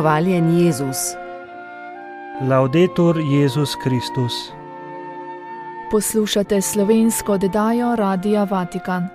Hvaljen Jezus. Laudetur Jezus Kristus. Poslušate slovensko oddajo Radia Vatikan.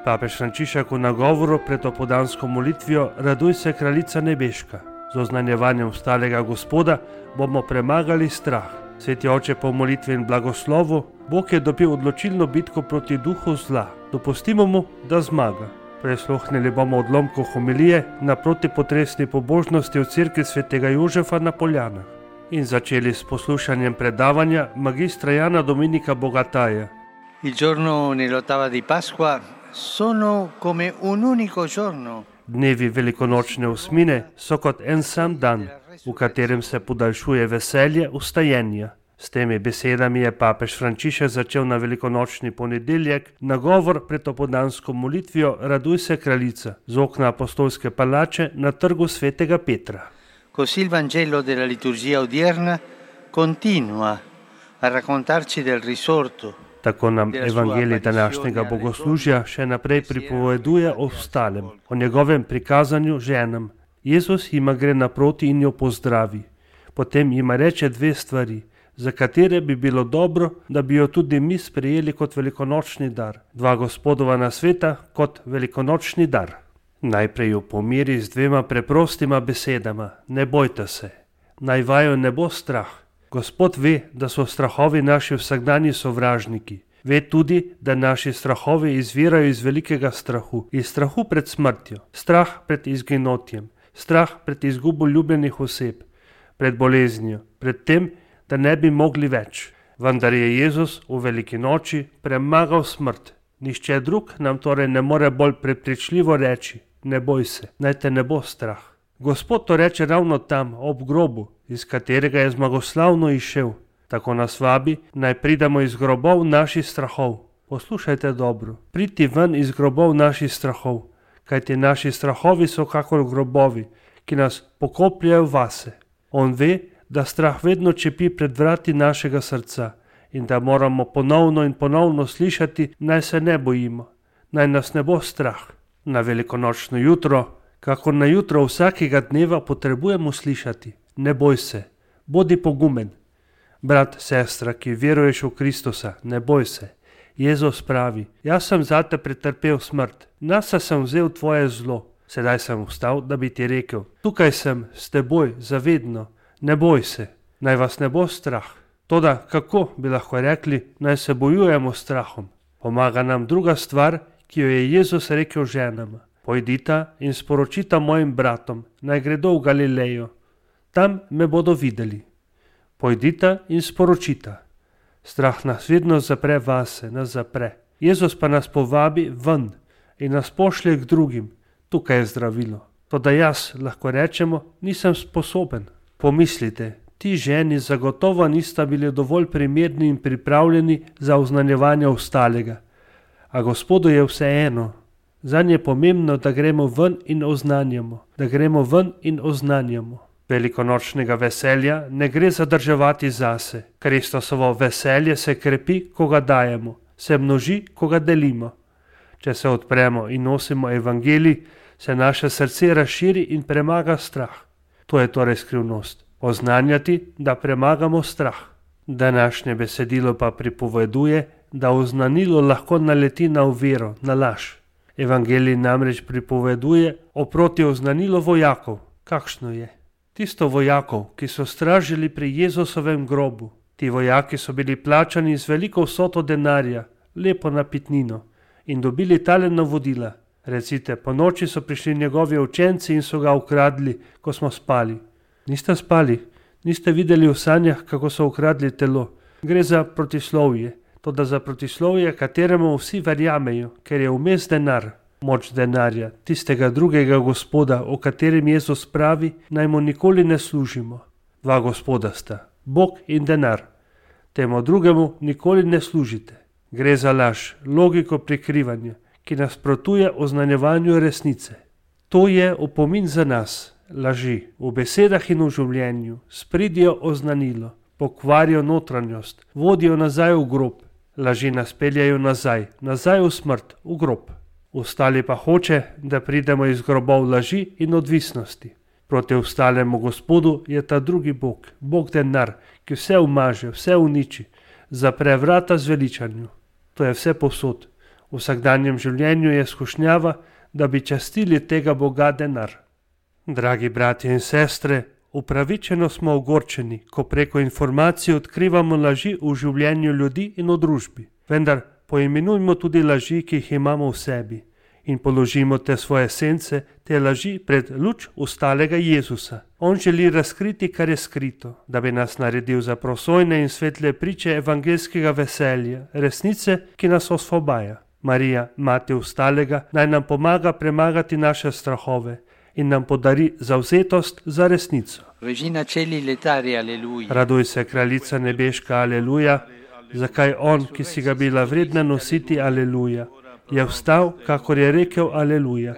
Papež Frančišek v nagovoru pred opoldansko molitvijo Raduj se, kraljica nebeška. Z oznanjevanjem ustalega Gospoda bomo premagali strah. Sveti oče po molitvi in blagoslovu, Bog je dobil odločilno bitko proti duhu zla. Dopustimo mu, da zmaga. Prisluhnili bomo odlomku homilije na protipotresni pobožnosti v cerkvi svetega Jožefa na Poljanah in začeli s poslušanjem predavanja magistra Jana Dominika Bogataja. Il giorno nell'ottava di Pasqua sono come un unico giorno. Dnevi velikonočne osmine so kot en sam dan, v katerem se podaljšuje veselje vstajenja. S temi besedami je papež Frančišek začel na velikonočni ponedeljek nagovor pred opoldansko molitvijo Raduj se, kraljica z okna apostolske palače na trgu svetega Petra. Così il Vangelo della liturgia odierna continua a raccontarci del risorto. Tako nam evangelij današnjega bogoslužja še naprej pripoveduje o vstalem, o njegovem prikazanju ženam. Jezus jima gre naproti in jo pozdravi. Potem jima reče dve stvari, za katere bi bilo dobro, da bi jo tudi mi sprejeli kot velikonočni dar. Dva Gospodova nasveta kot velikonočni dar. Najprej jo pomiri z dvema preprostima besedama, ne bojte se. Naj vaju ne bo strah. Gospod ve, da so strahovi naši vsakdanji sovražniki. Ve tudi, da naši strahovi izvirajo iz velikega strahu, iz strahu pred smrtjo, strah pred izginotjem, strah pred izgubo ljubljenih oseb, pred boleznijo, pred tem, da ne bi mogli več. Vendar je Jezus v veliki noči premagal smrt. Nihče drug nam torej ne more bolj prepričljivo reči, ne boj se, naj te ne bo strah. Gospod to reče ravno tam, ob grobu, iz katerega je zmagoslavno izšel. Tako nas vabi, naj pridemo iz grobov naših strahov. Poslušajte dobro, priti ven iz grobov naših strahov, kajti naši strahovi so kakor grobovi, ki nas pokopljajo vase. On ve, da strah vedno čepi pred vrati našega srca in da moramo ponovno in ponovno slišati, naj se ne bojimo, naj nas ne bo strah. Na velikonočno jutro, kakor na jutro vsakega dneva potrebujemo slišati, ne boj se, bodi pogumen. Brat, sestra, ki veruješ v Kristusa, ne boj se. Jezus pravi, jaz sem zate pretrpel smrt, nase sem vzel tvoje zlo, sedaj sem vstal, da bi ti rekel, tukaj sem s teboj zavedno, ne boj se, naj vas ne bo strah. Toda kako bi lahko rekli, naj se bojujemo strahom? Pomaga nam druga stvar, ki jo je Jezus rekel ženama. Pojdita in sporočita mojim bratom, naj gredo v Galilejo. Tam me bodo videli. Pojdita in sporočita. Strah nas vedno zapre vase, nas zapre. Jezus pa nas povabi ven in nas pošlje k drugim. Tukaj je zdravilo. Toda jaz, lahko rečemo, nisem sposoben. Pomislite, ti ženi zagotovo nista bili dovolj primerni in pripravljeni za oznanjevanje ostalega. A Gospodu je vseeno. Zanj je pomembno, da gremo ven in oznanjamo. Da gremo ven in oznanjamo. Velikonočnega veselja ne gre zadrževati zase. Kristusovo veselje se krepi, ko ga dajemo. Se množi, ko ga delimo. Če se odpremo in nosimo evangelij, se naše srce razširi in premaga strah. To je torej skrivnost. Oznanjati, da premagamo strah. Današnje besedilo pa pripoveduje, da oznanilo lahko naleti na oviro, na laž. Evangelij namreč pripoveduje o protioznanilo vojakov. Kakšno je? Tisto vojakov, ki so stražili pri Jezusovem grobu. Ti vojaki so bili plačani z veliko vsoto denarja, lepo napitnino, in dobili tale navodila. Recite, po noči so prišli njegovi učenci in so ga ukradli, ko smo spali. Niste spali? Niste videli v sanjah, kako so ukradli telo? Gre za protislovje. Toda za protislovje, kateremu vsi verjamejo, ker je vmes denar, moč denarja, tistega drugega Gospoda, o katerem Jezus pravi, naj mu nikoli ne služimo. Dva Gospoda sta, Bog in denar. Temu drugemu nikoli ne služite. Gre za laž, logiko prikrivanja, ki nasprotuje oznanjevanju resnice. To je opomin za nas. Laži v besedah in v življenju spridijo oznanilo, pokvarijo notranjost, vodijo nazaj v grob. Laži nas peljajo nazaj v smrt, v grob. Ostali pa hoče, da pridemo iz grobov laži in odvisnosti. Proti ostalemu Gospodu je ta drugi Bog, Bog denar, ki vse umaže, vse uniči, zapre vrata zveličanju. To je vse povsod. V vsakdanjem življenju je skušnjava, da bi častili tega Boga denar. Dragi bratje in sestre, upravičeno smo ogorčeni, ko preko informacij odkrivamo laži v življenju ljudi in v družbi. Vendar poimenujmo tudi laži, ki jih imamo v sebi, in položimo te svoje sence, te laži pred luč ostalega Jezusa. On želi razkriti, kar je skrito, da bi nas naredil za prosojne in svetle priče evangelskega veselja, resnice, ki nas osvobaja. Marija, mati ostalega, naj nam pomaga premagati naše strahove in nam podari zavzetost za resnico. Regina Celi letari, aleluja. Raduj se, kraljica nebeška, aleluja. Zakaj on, ki si ga bila vredna nositi, aleluja, je vstal, kakor je rekel, aleluja.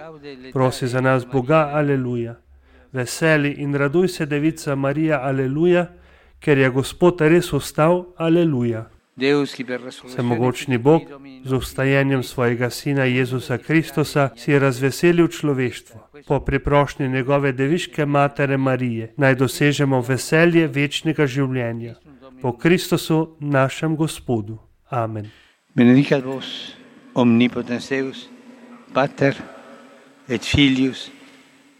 Prosi za nas Boga, aleluja. Veseli in raduj se, devica Marija, aleluja, ker je Gospod res vstal, aleluja. Vsemogočni Bog z vstajenjem svojega Sina Jezusa Kristusa si je razveselil človeštvo. Po priprošnji njegove deviške matere Marije naj dosežemo veselje večnega življenja. Po Kristusu, našem Gospodu. Amen. Benedicat vos, omnipotens Deus, Pater et Filius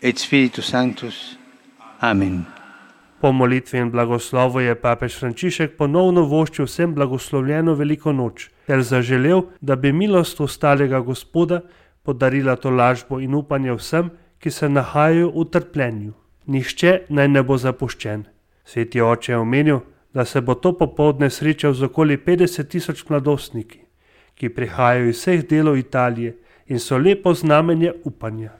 et Spiritus Sanctus. Amen. Po molitvi in blagoslovu je papež Frančišek ponovno voščil vsem blagoslovljeno veliko noč, ter zaželel, da bi milost ostalega Gospoda podarila tolažbo in upanje vsem, ki se nahajajo v trpljenju. Nihče naj ne bo zapuščen. Sveti oče je omenil, da se bo to popoldne srečal z okoli 50.000 mladostniki, ki prihajajo iz vseh delov Italije in so lepo znamenje upanja.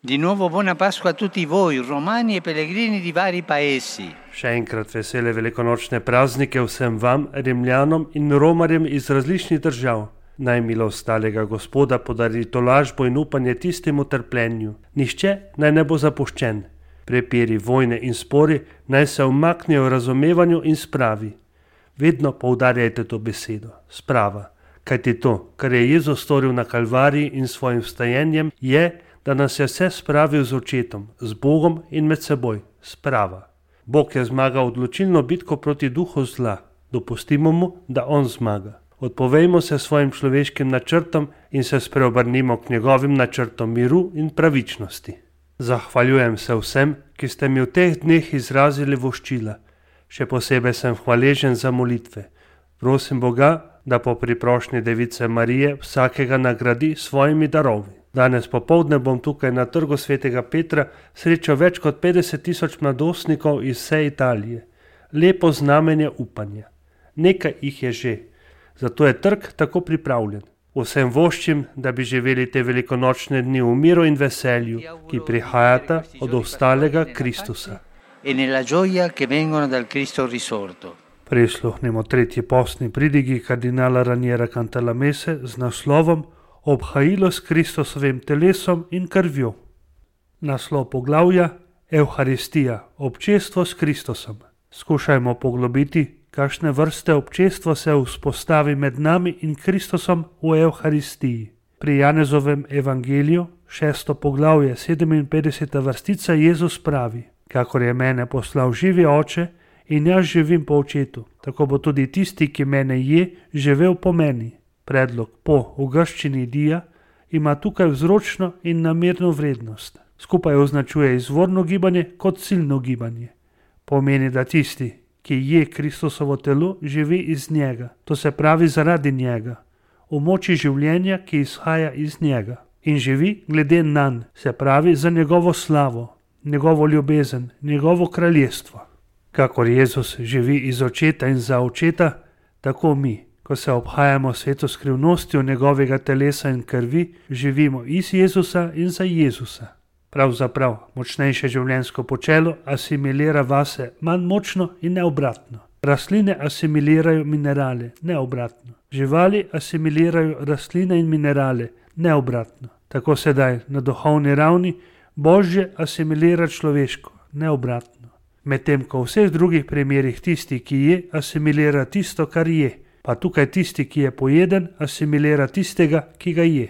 Di nuovo buona Pasqua a tutti voi, romani e pellegrini di vari paesi. Še enkrat vesele velikonočne praznike vsem vam, Rimljanom in Romarjem iz različnih držav. Naj milost ostalega Gospoda podari tolažbo in upanje tistim v trpljenju. Nihče naj ne bo zapuščen. Prepiri, vojne in spori naj se umaknejo v razumevanju in spravi. Vedno poudarjajte to besedo, sprava. Kajti to, kar je Jezus storil na Kalvariji in svojim vstajenjem, je, da nas je vse spravil z očetom, z Bogom in med seboj, sprava. Bog je zmagal odločilno bitko proti duhu zla. Dopustimo mu, da on zmaga. Odpovejmo se svojim človeškim načrtom in se spreobrnimo k njegovim načrtom miru in pravičnosti. Zahvaljujem se vsem, ki ste mi v teh dneh izrazili voščila. Še posebej sem hvaležen za molitve. Prosim Boga, da po priprošnji device Marije vsakega nagradi svojimi darovi. Danes popoldne bom tukaj na trgu svetega Petra srečal več kot 50.000 mladostnikov iz vse Italije. Lepo znamenje upanja. Nekaj jih je že, zato je trg tako pripravljen. Vsem voščim, da bi živeli te velikonočne dni v miru in veselju, ki prihajata od ostalega Kristusa. Prisluhnimo tretji postni pridigi kardinala Raniera Cantalamesse z naslovom Obhajilo s Kristusovim telesom in krvjo. Naslov poglavja Evharistija, občestvo s Kristusom. Skušajmo poglobiti, kakšne vrste občestvo se vzpostavi med nami in Kristusom v Evharistiji. Pri Janezovem evangeliju, 6. poglavje, 57. vrstica, Jezus pravi: Kakor je mene poslal živi Oče in jaz živim po Očetu, tako bo tudi tisti, ki mene je, živel po meni. Predlog po v grščini dia ima tukaj vzročno in namerno vrednost. Skupaj označuje izvorno gibanje kot ciljno gibanje. Pomeni, da tisti, ki je Kristusovo telo, živi iz njega, to se pravi zaradi njega, v moči življenja, ki izhaja iz njega, in živi glede nanj, se pravi za njegovo slavo, njegovo ljubezen, njegovo kraljestvo. Kakor Jezus živi iz Očeta in za Očeta, tako mi, ko se obhajamo sveto skrivnostjo njegovega telesa in krvi, živimo iz Jezusa in za Jezusa. Pravzaprav, močnejše življenjsko počelo asimilira vase manj močno in ne obratno. Rastline asimilirajo minerale, ne obratno. Živali asimilirajo rastline in minerale, ne obratno. Tako sedaj, na duhovni ravni, Božje asimilira človeško, ne obratno. Medtem ko v vseh drugih primerih tisti, ki je, asimilira tisto, kar je. Pa tukaj tisti, ki je pojeden, asimilira tistega, ki ga je.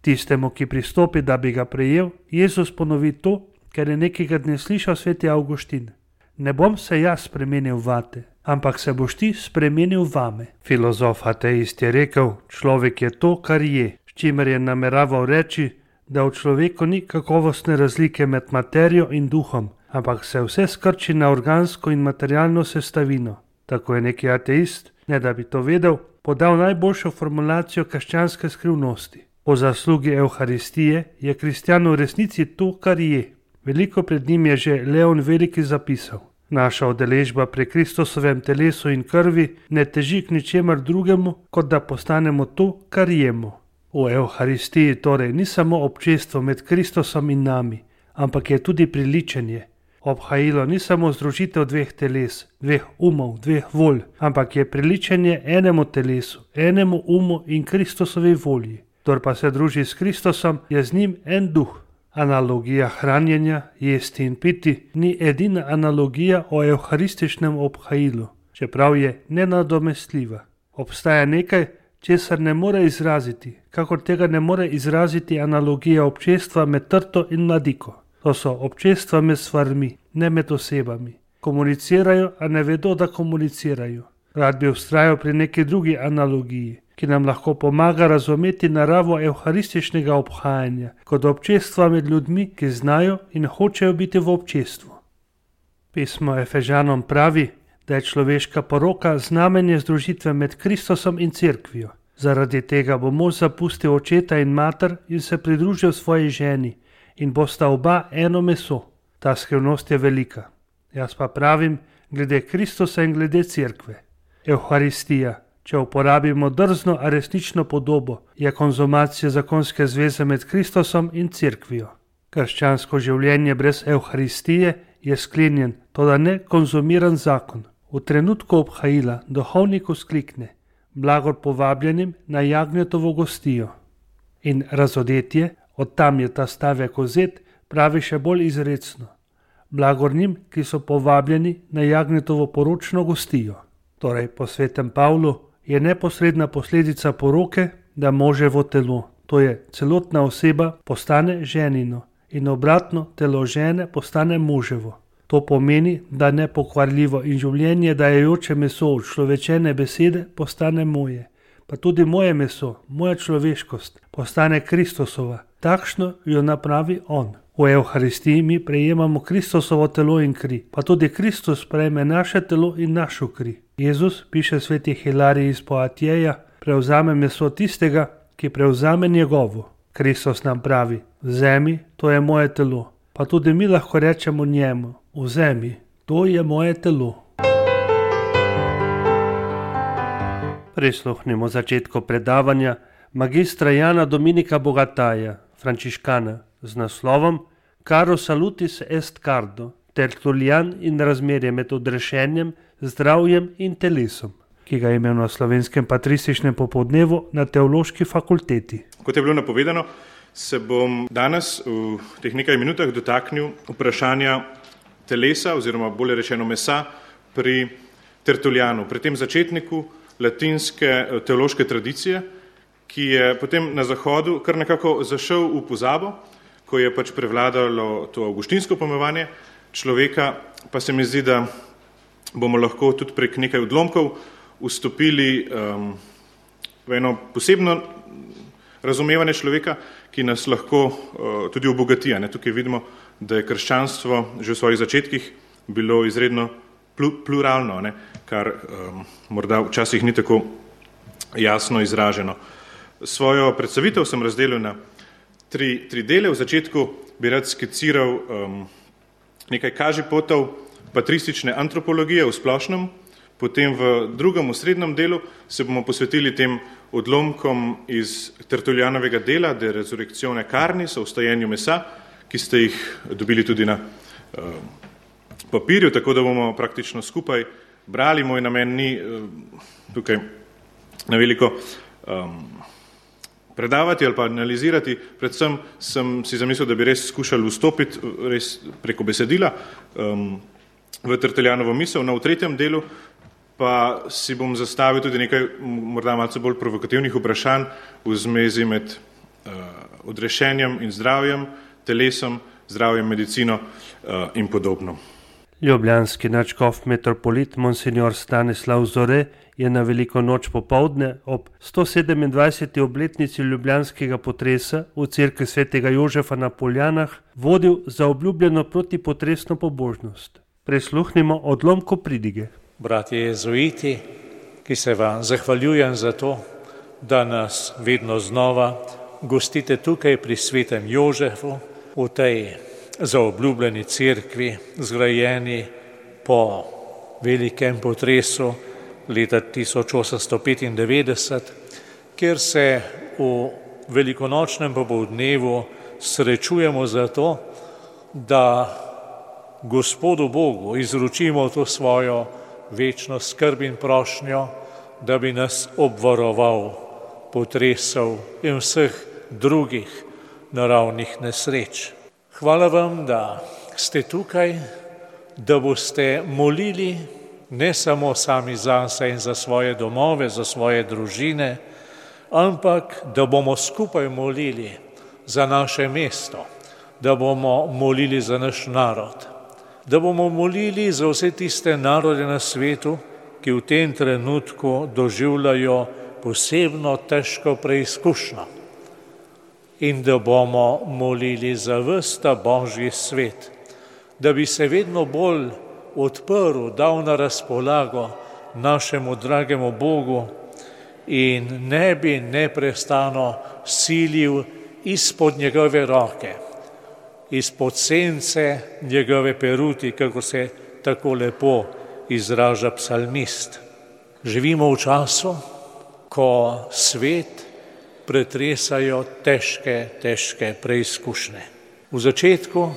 Tistemu, ki pristopi, da bi ga prejel, Jezus ponovi to, ker je nekega dne slišal sveti Avguštin: ne bom se jaz spremenil vate, ampak se boš ti spremenil vame. Filozof ateist je rekel: človek je to, kar je, s čimer je nameraval reči, da v človeku ni kakovostne razlike med materijo in duhom, ampak se vse skrči na organsko in materialno sestavino. Tako je neki ateist, ne da bi to vedel, podal najboljšo formulacijo krščanske skrivnosti. Po zaslugi Evharistije je kristjan v resnici to, kar je. Veliko pred njim je že Leon Veliki zapisal: naša udeležba pri Kristusovem telesu in krvi ne teži k ničemer drugemu, kot da postanemo to, kar jemo. V Evharistiji torej ni samo občestvo med Kristusom in nami, ampak je tudi priličenje. Obhajilo ni samo združitev dveh teles, dveh umov, dveh volj, ampak je priličenje enemu telesu, enemu umu in Kristusovi volji. Kdor pa se druži s Kristusom, je z njim en duh. Analogija hranjenja, jesti in piti ni edina analogija o evharističnem obhajilu, čeprav je nenadomestljiva. Obstaja nekaj, česar ne more izraziti, kakor tega ne more izraziti analogija občestva med trto in mladiko. To so občestva med stvarmi, ne med osebami. Komunicirajo, a ne vedo, da komunicirajo. Rad bi vztrajal pri neki drugi analogiji, ki nam lahko pomaga razumeti naravo evharističnega obhajanja kot občestva med ljudmi, ki znajo in hočejo biti v občestvu. Pismo Efežanom pravi, da je človeška poroka znamenje združitve med Kristusom in cerkvijo. Zaradi tega bo mož zapustil očeta in mater in se pridružil svoji ženi in bosta oba eno meso. Ta skrivnost je velika. Jaz pa pravim, glede Kristusa in glede cerkve. Evharistija, če uporabimo drzno, a resnično podobo, je konzumacija zakonske zveze med Kristusom in cerkvijo. Krščansko življenje brez Evharistije je sklenjen, toda ne konzumiran zakon. V trenutku obhajila duhovnik vzklikne: blagor povabljenim na jagnjetovo gostijo. In razodetje, od tam je ta stavek vzet, pravi še bolj izrecno: blagor njim, ki so povabljeni na jagnjetovo poročno gostijo. Torej, po svetem Pavlu je neposredna posledica poroke, da moževo telo, to je celotna oseba, postane ženino in obratno, telo žene postane moževo. To pomeni, da nepokvarljivo in življenje dajajoče meso od človečene besede postane moje, pa tudi moje meso, moja človeškost postane Kristusova. Takšno jo napravi on. V Evharistiji mi prejemamo Kristusovo telo in kri, pa tudi Kristus prejme naše telo in našo kri. Jezus, piše sveti Hilarij iz Poatjeja, prevzame meso tistega, ki prevzame njegovo. Kristus nam pravi: vzemi, to je moje telo. Pa tudi mi lahko rečemo njemu: vzemi, to je moje telo. Prisluhnimo začetku predavanja magistra Jana Dominika Bogataja, frančiškana, z naslovom Caro salutis est cardo, Tertulian in razmerje med odrešenjem, zdravjem in telesom, ki ga je imel na slovenskem patrističnem popoldnevu na teološki fakulteti. Kot je bilo napovedano, se bom danes v teh nekaj minutah dotaknil vprašanja telesa oziroma bolje rečeno mesa pri Tertulianu, pri tem začetniku latinske teološke tradicije, ki je potem na Zahodu kar nekako zašel v pozabo, ko je pač prevladalo to avguštinsko pojmovanje človeka, pa se mi zdi, da bomo lahko tudi prek nekaj odlomkov vstopili v eno posebno razumevanje človeka, ki nas lahko tudi obogati. Tukaj vidimo, da je krščanstvo že v svojih začetkih bilo izredno pluralno, kar morda včasih ni tako jasno izraženo. Svojo predstavitev sem razdelil na tri dele. V začetku bi rad skiciral nekaj kažipotov patristične antropologije v splošnem, potem v drugem, v srednjem delu se bomo posvetili tem odlomkom iz Tertulianovega dela De resurrectione carnis, o vstajenju mesa, ki ste jih dobili tudi na papirju, tako da bomo praktično skupaj brali. Moj namen ni tukaj na veliko predavati ali pa analizirati, predvsem sem si zamislil, da bi res skušali vstopiti res preko besedila v Tertulianovo misel. V tretjem delu pa si bom zastavil tudi nekaj morda malce bolj provokativnih vprašanj v zmezi med odrešenjem in zdravjem, telesom zdravjem, medicino in podobno. Ljubljanski nadškof metropolit Monsignor Stanislav Zore je na veliko noč popoldne ob 127. obletnici ljubljanskega potresa v cerkvi svetega Jožefa na Poljanah vodil za obljubljeno protipotresno pobožnost. Prisluhnimo odlomku pridige. Bratje jezuiti, ki se vam zahvaljujem za to, da nas vedno znova gostite tukaj pri svetem Jožefu, v tej zaobljubljeni cerkvi, zgrajeni po velikem potresu leta 1895, kjer se v velikonočnem popoldnevu srečujemo zato, da Gospodu Bogu izročimo to svojo večno skrb in prošnjo, da bi nas obvaroval potresov in vseh drugih naravnih nesreč. Hvala vam, da ste tukaj, da boste molili ne samo sami zase in za svoje domove, za svoje družine, ampak da bomo skupaj molili za naše mesto, da bomo molili za naš narod, da bomo molili za vse tiste narode na svetu, ki v tem trenutku doživljajo posebno težko preizkušnjo, in da bomo molili za ves ta Božji svet, da bi se vedno bolj odprl, dal na razpolago našemu dragemu Bogu in ne bi neprestano silil izpod njegove roke, izpod sence njegove peruti, kako se tako lepo izraža psalmist. Živimo v času, ko svet pretresajo težke preizkušnje. V začetku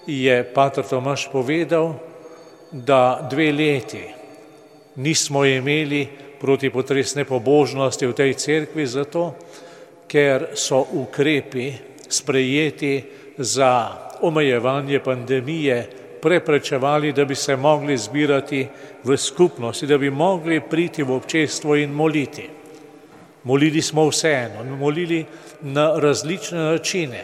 je pater Tomaž povedal, da 2 leti nismo imeli protipotresne pobožnosti v tej cerkvi zato, ker so ukrepi sprejeti za omejevanje pandemije preprečevali, da bi se mogli zbirati v skupnosti, da bi mogli priti v občestvo in moliti. Molili smo vseeno, molili na različne načine,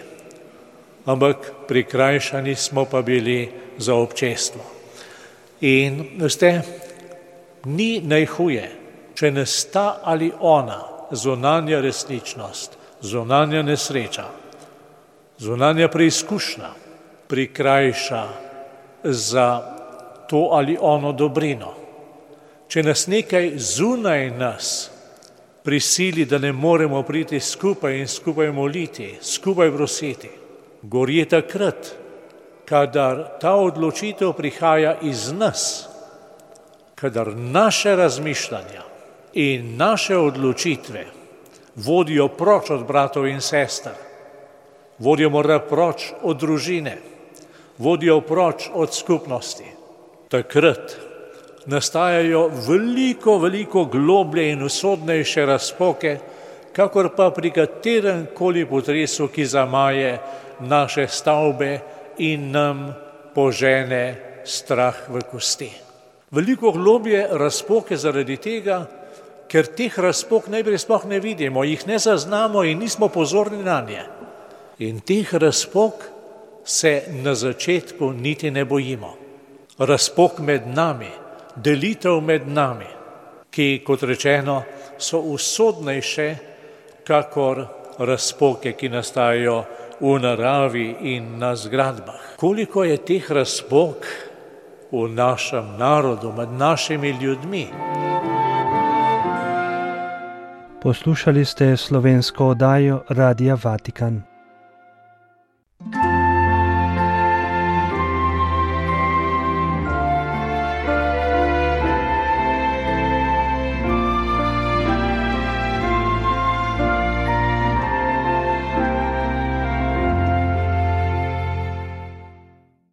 ampak prikrajšani smo pa bili za občestvo. In veste, ni najhuje, če nas ta ali ona zunanja resničnost, zunanja nesreča, zunanja preizkušnja prikrajša za to ali ono dobrino. Če nas nekaj zunaj nas prisili, da ne moremo priti skupaj in skupaj moliti, skupaj prositi, gori takrat, kadar ta odločitev prihaja iz nas, kadar naše razmišljanja in naše odločitve vodijo proč od bratov in sester, vodijo morda proč od družine, vodijo proč od skupnosti. Takrat nastajajo veliko globlje in usodnejše razpoke, kakor pa pri katerem koli potresu, ki zamaje naše stavbe in nam požene strah v kosti. Veliko globlje razpoke zaradi tega, ker teh razpok najprej sploh ne vidimo, jih ne zaznamo in nismo pozorni na nje. In teh razpok se na začetku niti ne bojimo. Razpok med nami, delitev med nami, ki, kot rečeno, so usodnejše, kakor razpoke, ki nastajajo v naravi in na zgradbah. Koliko je teh razpok v našem narodu, med našimi ljudmi? Poslušali ste slovensko oddajo Radia Vatikan.